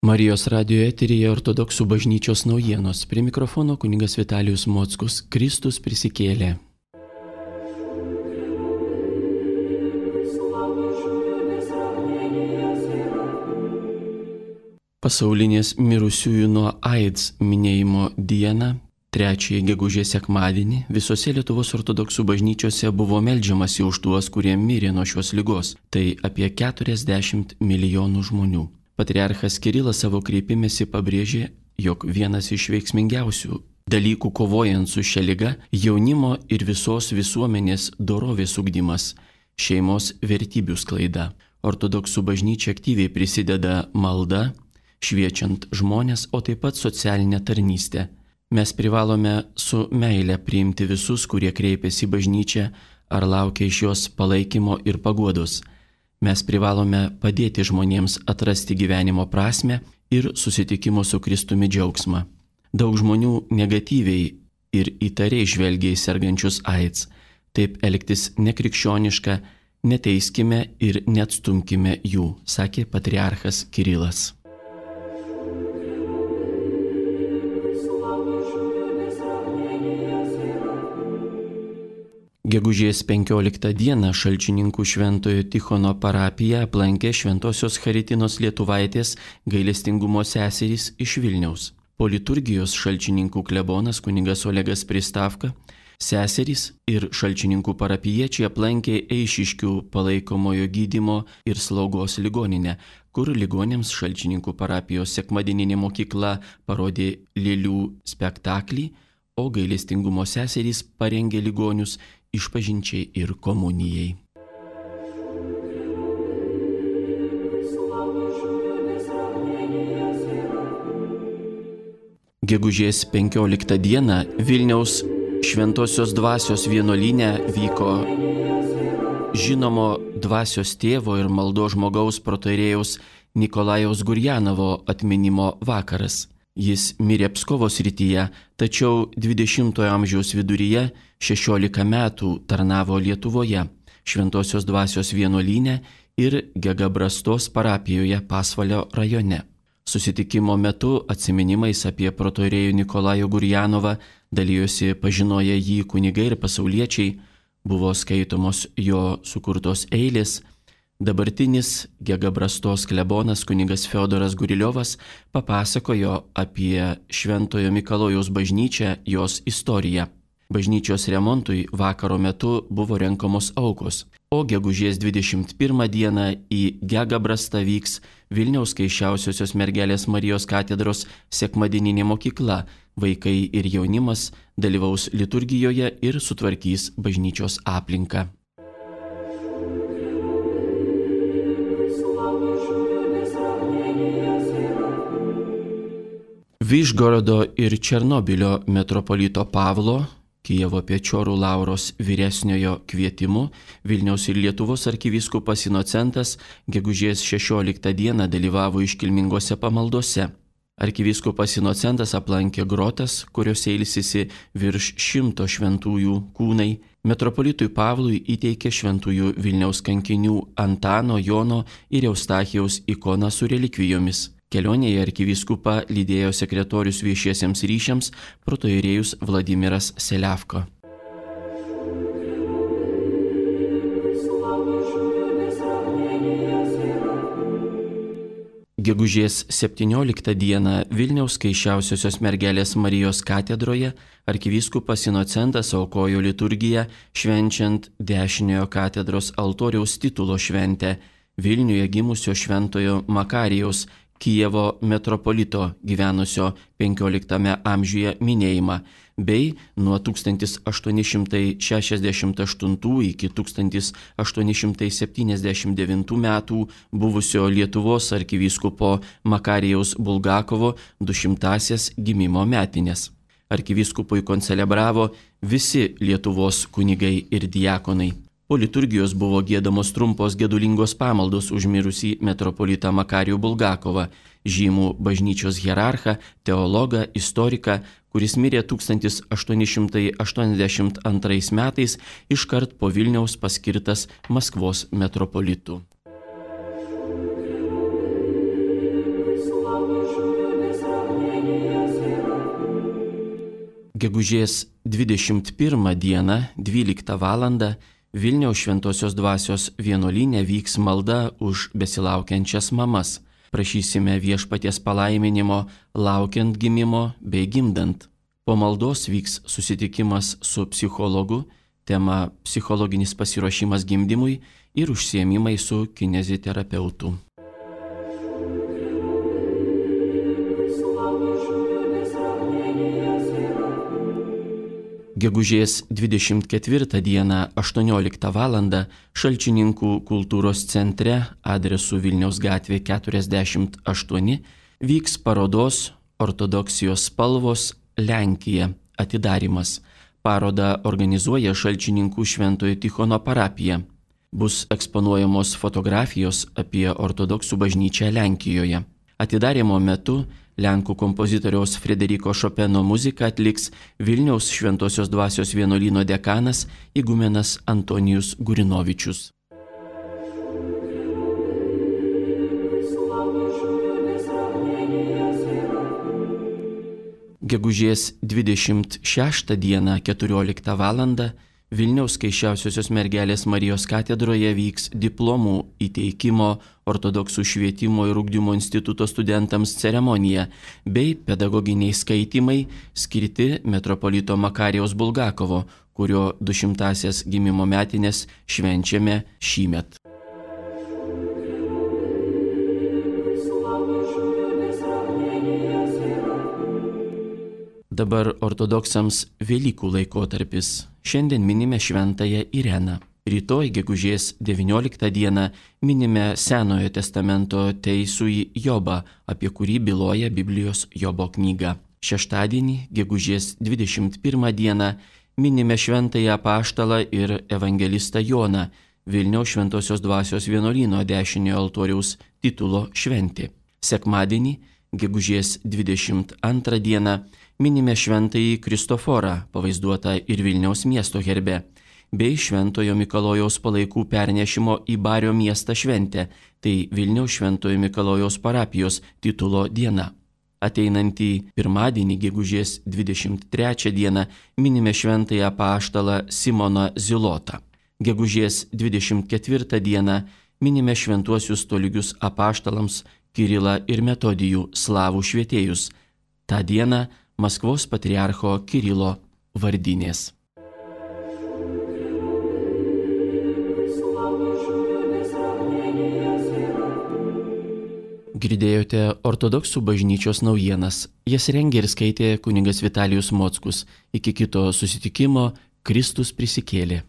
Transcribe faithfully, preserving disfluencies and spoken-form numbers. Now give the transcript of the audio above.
Marijos radijo eteryje Ortodoksų bažnyčios naujienos. Prie mikrofono kunigas Vitalijus Mockus. Kristus prisikėlė. Pasaulinės mirusiųjų nuo AIDS minėjimo dieną, trečiąjį gegužės sekmadienį, visose Lietuvos ortodoksų bažnyčiose buvo meldžiamasi už tuos, kurie mirė nuo šios ligos. Tai apie keturiasdešimt milijonų žmonių. Patriarchas Kirilas savo kreipimėsi pabrėžė, jog vienas iš veiksmingiausių dalykų kovojant su šia liga jaunimo ir visos visuomenės dorovės ugdymas, šeimos vertybių sklaida. Ortodoksų bažnyčia aktyviai prisideda malda, šviečiant žmonės, o taip pat socialinę tarnystę. Mes privalome su meile priimti visus, kurie kreipiasi į bažnyčią ar laukia iš jos palaikymo ir paguodos. Mes privalome padėti žmonėms atrasti gyvenimo prasmę ir susitikimo su Kristumi džiaugsmą. Daug žmonių negatyviai ir įtariai žvelgia į sergančius AIDS. Taip elgtis nekrikščioniška, neteiskime ir neatstumkime jų, sakė patriarchas Kirilas. Gegužės penkioliktą dieną Šalčininkų Šventojo Tichono parapiją aplankė Šventosios Charitinos Lietuvaitės gailestingumo seserys iš Vilniaus. Po liturgijos Šalčininkų klebonas kunigas Olegas Pristavka, seserys ir Šalčininkų parapijiečiai aplankė Eišiškių palaikomojo gydymo ir slaugos ligoninę, kur ligonėms Šalčininkų parapijos sekmadieninė mokykla parodė lėlių spektaklį, o gailestingumo seserys parengė ligonius išpažinčiai ir komunijai. Gegužės penkioliktą dieną Vilniaus Šventosios Dvasios vienuolyne vyko žinomo dvasios tėvo ir maldos žmogaus protoierėjaus Nikolajaus Gurjanovo atminimo vakaras. Jis mirė Pskovo srityje, tačiau dvidešimtojo amžiaus viduryje šešiolika metų tarnavo Lietuvoje, Šventosios Dvasios vienuolyne ir Gegabrastos parapijoje Pasvalio rajone. Susitikimo metu atsiminimais apie protoierėjų Nikolajų Gurjanovą dalijosi pažinoję jį kunigai ir pasauliečiai, buvo skaitomos jo sukurtos eilės. Dabartinis Gegabrastos klebonas kunigas Fiodoras Guriliovas papasakojo apie Šventojo Mikalojaus bažnyčią, jos istoriją. Bažnyčios remontui vakaro metu buvo renkamos aukos, o gegužės dvidešimt pirmą dieną į Gegabrastą vyks Vilniaus Kaiščiausiosios mergelės Marijos katedros sekmadieninė mokykla. Vaikai ir jaunimas dalyvaus liturgijoje ir sutvarkys bažnyčios aplinką. Vyšgorodo ir Černobilio metropolito Pavlo, Kijevo Pečiorų Lauros vyresniojo kvietimu, Vilniaus ir Lietuvos arkivyskupas Inocentas gegužės šešioliktą dieną dalyvavo iškilmingose pamaldose. Arkivyskupas Inocentas aplankė grotas, kuriuose ilsisi virš šimto šventųjų kūnai. Metropolitui Pavlui įteikė šventųjų Vilniaus kankinių Antano, Jono ir Eustachijaus ikoną su relikvijomis. Kelionėje arkivyskupą lydėjo sekretorius viešiesiems ryšiams protoierėjus Vladimiras Seliavko. Gegužės septynioliktą dieną Vilniaus Kaiščiausiosios mergelės Marijos katedroje arkivyskupas Inocentas aukojo liturgiją švenčiant dešiniojo katedros altoriaus titulo šventę Vilniuje gimusio šventojo Makarijaus Kijevo metropolito gyvenusio penkioliktame amžiuje minėjimą, bei nuo tūkstantis aštuoni šimtai šešiasdešimt aštuntų iki tūkstantis aštuoni šimtai septyniasdešimt devintų metų buvusio Lietuvos arkivyskupo Makarijaus Bulgakovo dušimtąsias gimimo metinės. Arkivyskupui koncelebravo visi Lietuvos kunigai ir diakonai. Po liturgijos buvo giedamos trumpos gedulingos pamaldos už mirusį metropolitą Makarijų Bulgakovą, žymų bažnyčios hierarchą, teologą, istoriką, kuris mirė tūkstantis aštuoni šimtai aštuoniasdešimt antrais metais iškart po Vilniaus paskirtas Maskvos metropolitu. Slava Gegužės dvidešimt pirmą dieną, dvyliktą valandą, Vilniaus Šventosios Dvasios vienuolyne vyks malda už besilaukiančias mamas. Prašysime viešpaties palaiminimo laukiant gimimo bei gimdant. Po maldos vyks susitikimas su psichologu, tema psichologinis pasiruošimas gimdymui ir užsiėmimai su kineziterapeutu. Gegužės dvidešimt ketvirtą dieną aštuonioliktą valandą Šalčininkų kultūros centre adresu Vilniaus gatvė keturiasdešimt aštuoni vyks parodos Ortodoksijos spalvos Lenkija atidarymas. Parodą organizuoja Šalčininkų Šventojo Tichono parapija. Bus eksponuojamos fotografijos apie ortodoksų bažnyčią Lenkijoje. Atidarymo metu Lenkų kompozitoriaus Frederiko Šopeno muziką atliks Vilniaus Šventosios Dvasios vienuolyno dekanas igumenas Antonijus Gurinovičius. Gegužės dvidešimt šeštą dieną keturioliktą valandą Vilniaus Skaisčiausiosios mergelės Marijos katedroje vyks diplomų įteikimo Ortodoksų švietimo ir ugdymo instituto studentams ceremonija bei pedagoginiai skaitymai skirti metropolito Makarijaus Bulgakovo, kurio dušimtąsias gimimo metines švenčiame šįmet. Dabar ortodoksams Velykų laikotarpis. Šiandien minime šventąją Ireną. Rytoj, gegužės devynioliktą dieną, minime Senojo testamento teisųjį Jobą, apie kurį byloja Biblijos Jobo knyga. Šeštadienį, gegužės dvidešimt pirmą dieną, minime šventąją apaštalą ir evangelistą Joną, Vilniaus Šventosios Dvasios vienuolyno dešiniojo altoriaus titulo šventė. Sekmadienį, gegužės dvidešimt antrą dieną, minime šventąjį Kristoforą, pavaizduotą ir Vilniaus miesto herbe, bei Šventojo Mikalojaus palaikų pernešimo į Bario miestą šventę, tai Vilniaus Šventojo Mikalojaus parapijos titulo diena. Ateinantį pirmadienį, gegužės dvidešimt trečią dieną, minime šventąjį apaštalą Simoną Zilotą. Gegužės dvidešimt ketvirtą dieną minime šventuosius tolygius apaštalams Kirilą ir Metodijų slavų švietėjus. Ta diena Maskvos patriarcho Kirilo vardinės. Girdėjote ortodoksų bažnyčios naujienas. Jas rengė ir skaitė kunigas Vitalijus Mockus. Iki kito susitikimo Kristus prisikėlė.